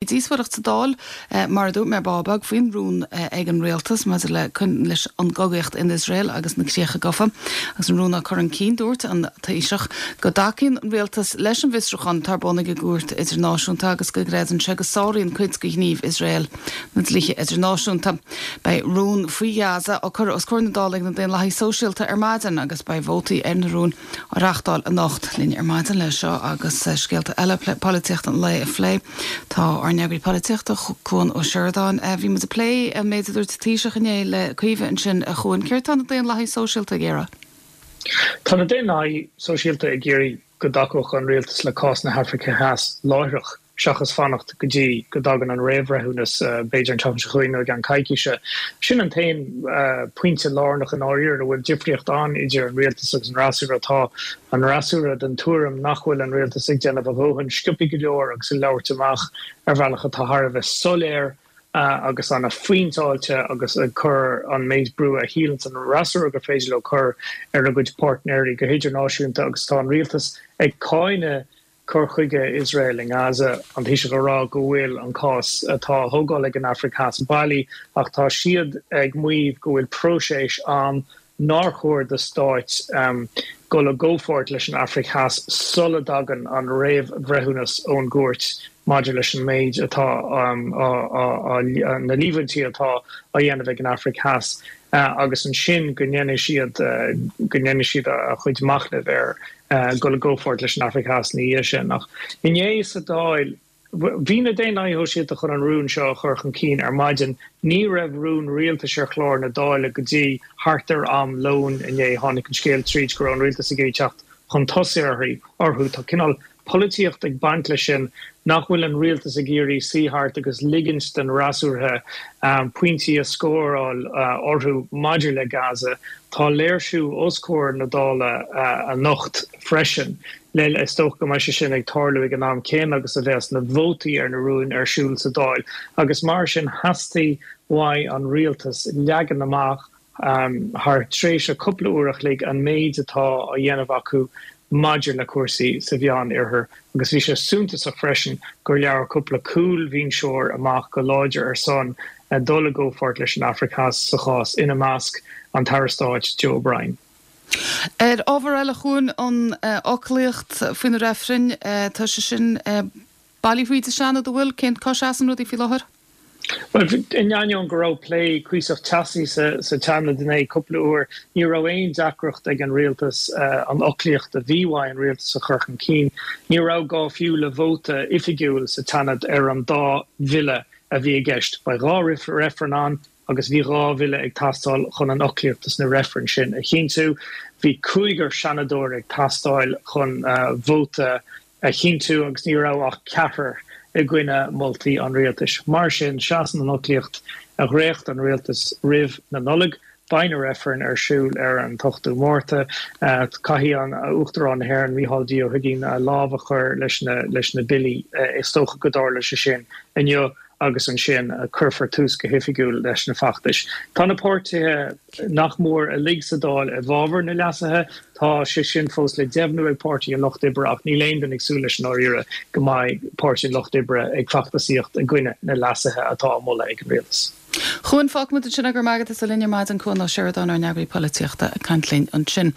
Díospóireacht sa Dáil, mar a dúirt mé ar ball beag, faoin rún ag an Rialtas maidir le leis an gcogaíocht in Iosrael agus na Críocha Gafa. Agus an rún á cur chun cinn, dúirt an Taoiseach go dtacaíonn an Rialtas leis an bhfiosrúchán atá ar bun ag an gCúirt Idirnáisiúnta agus go gcreideann sé go sáraíonn cuid de ghnímh Iosrael na dlíthe idirnáisiúnta. Beidh rún faoi Ghaza á cur os comhair na Dála ag na Daonlathaithe Sóisialta ar maidin agus beidh vótaí ar na rúin á reáchtáil anocht. Linn ar maidin le seo agus scéalta eile polaitíochta an lae a phlé, tá ár n-eagraí polaitíochta, Cuan Ó Seireadáin. Bhí muid ag plé an méid a dúirt an Taoiseach inné le Caoimhe ansin, a Chuain. Céard tá na Daonlathaithe Sóisialta ag iarraidh? Tá na Daonlathaithe Sóisialta ag iarraidh go dtacódh an rialtas le cás na hAfraice Theas láithreach. seachas fanacht go dtí go dtagann an réamhbhreithiúnas, b'fhéidir an tseachtain seo chugainn nó i gceann coicíse. Sin an t-aon pointe lárnach i ndáiríre a bhfuil difríocht ann idir an rialtas agus an fhreasúra. Tá an fhreasúra den tuairim nach bhfuil an rialtas ag déanamh a dhóthain sciobtha go leor agus ag labhairt amach ar bhealach atá thar a bheith soiléir agus an-phointeáilte agus ag cur an méid brú a shíleanns an fhreasúra gur féidir leo cur ar a gcuid páirtnéirí go hidirnáisiúnta agus tá an rialtas ag cáineadh cur chuige Iosrael i nGaza, an Taoiseach ag rá go bhfuil an cás atá á thógáil ag an Afraic Theas bailí ach tá siad ag maíomh go bhfuil próiseas ann nár chóir do stáit dul i gcomhpháirt leis an Afraic Theas sula dtagann an réamhbhreithiúnas ón gcúirt maidir leis an méid atá á, na líomhaintí atá á dhéanamh ag an Afraic Theas agus ansin go ndéanfaidh siad, go ndéanfaidh siad a chuid machnaimh ar dul i gcomhpháirt leis an Afraic Theas ina dhiaidh sin. Ach inné sa Dáil, bhí na Daonlathaithe Shóisialta chun an rún seo a chur chun cinn ar maidin. Ní raibh rún rialtais ar chlár na Dála go dtí thart ar am lóin inné. Tháinig an scéal tríd go raibh an rialtas ag iarraidh teacht chun tosaigh orthu. Tá cineál polaitíocht ag baint leis sin, nach bhfuil an rialtas ag iarraidh suí thart agus ligint don fhreasúra pointí a scóráil orthu maidir le Gaza. Tá léirsiú os comhair na Dála anocht freisin. Is dócha go mbeidh sé sin ag tarlú ag an am céanna agus a bheas na vótaí ar na rúin ar siúl sa Dáil agus mar sin theastaigh uaidh an rialtas leagan amach thar tréimhse cúpla uair a chloig an méid atá á dhéanamh acu maidir le cúrsaí sa Mheán-Oirthear agus bhí sé suntasach freisin gur labhair cúpla cúlbhinseoir amach go láidir ar son dul i gcomhpháirt leis an Afraic Theas sa chás, ina measc an tAire Stáit Joe O'Brien. Ar ábhar eile, a Chuain, an fhoclaíocht faoi na reifrinn, tá sé sin bailithe thríd an Seanad, an bhfuil? Cén, cá seasann rudaí faoi láthair? Bhuel, in ainneoin go raibh plé cuíosach teasaí sa Seanad inné cúpla uair, ní raibh aon deacracht ag an rialtas an fhoclaíocht a bhí uaidh an rialtas a chur chun cinn. Ní raibh gá fiú le vóta oifigiúil sa tSeanad ar an dá bhille a bhí i gceist. Beidh 2 reifreann ann agus bhí 2 bhille ag teastáil chun an fhoclaíocht dos na reifrinn sin a chinntiú. Bhí cúigear seanadóir ag teastáil chun vóta a chinntiú agus ní raibh ach ceathrar i gcoinne moltaí an rialtais. Mar sin, seasann an fhoclaíocht a dhréacht an rialtas roimh na Nollag. Beidh na reifrinn ar siúl ar an t-ochtú Márta. Caithfidh an Uachtarán na hÉireann, Micheál D. Ó hUigínn, a lámh a chur leis na billí. Is dócha go dtarlóidh sé sin inniu. agus ansin cuirfear tús go hoifigiúil leis na feachtais. Tá na páirtithe nach mór uilig sa Dáil i bhfabhar na leasuithe. Tá sé sin fós le deimhniú ag Páirtí an Lucht Oibre ach níl aon duine ag súil leis i ndáiríre go mbeidh Páirtí an Lucht Oibre ag feachtasaíocht i gcoinne na leasuithe atá á moladh ag an rialtas. Chuain, fágfaimid ansin é, go raibh maith agat as a bheith linn ar maidin, Cuan Ó Seireadáin, ár n-eagraí polaitíochta, ag caint linn ansin.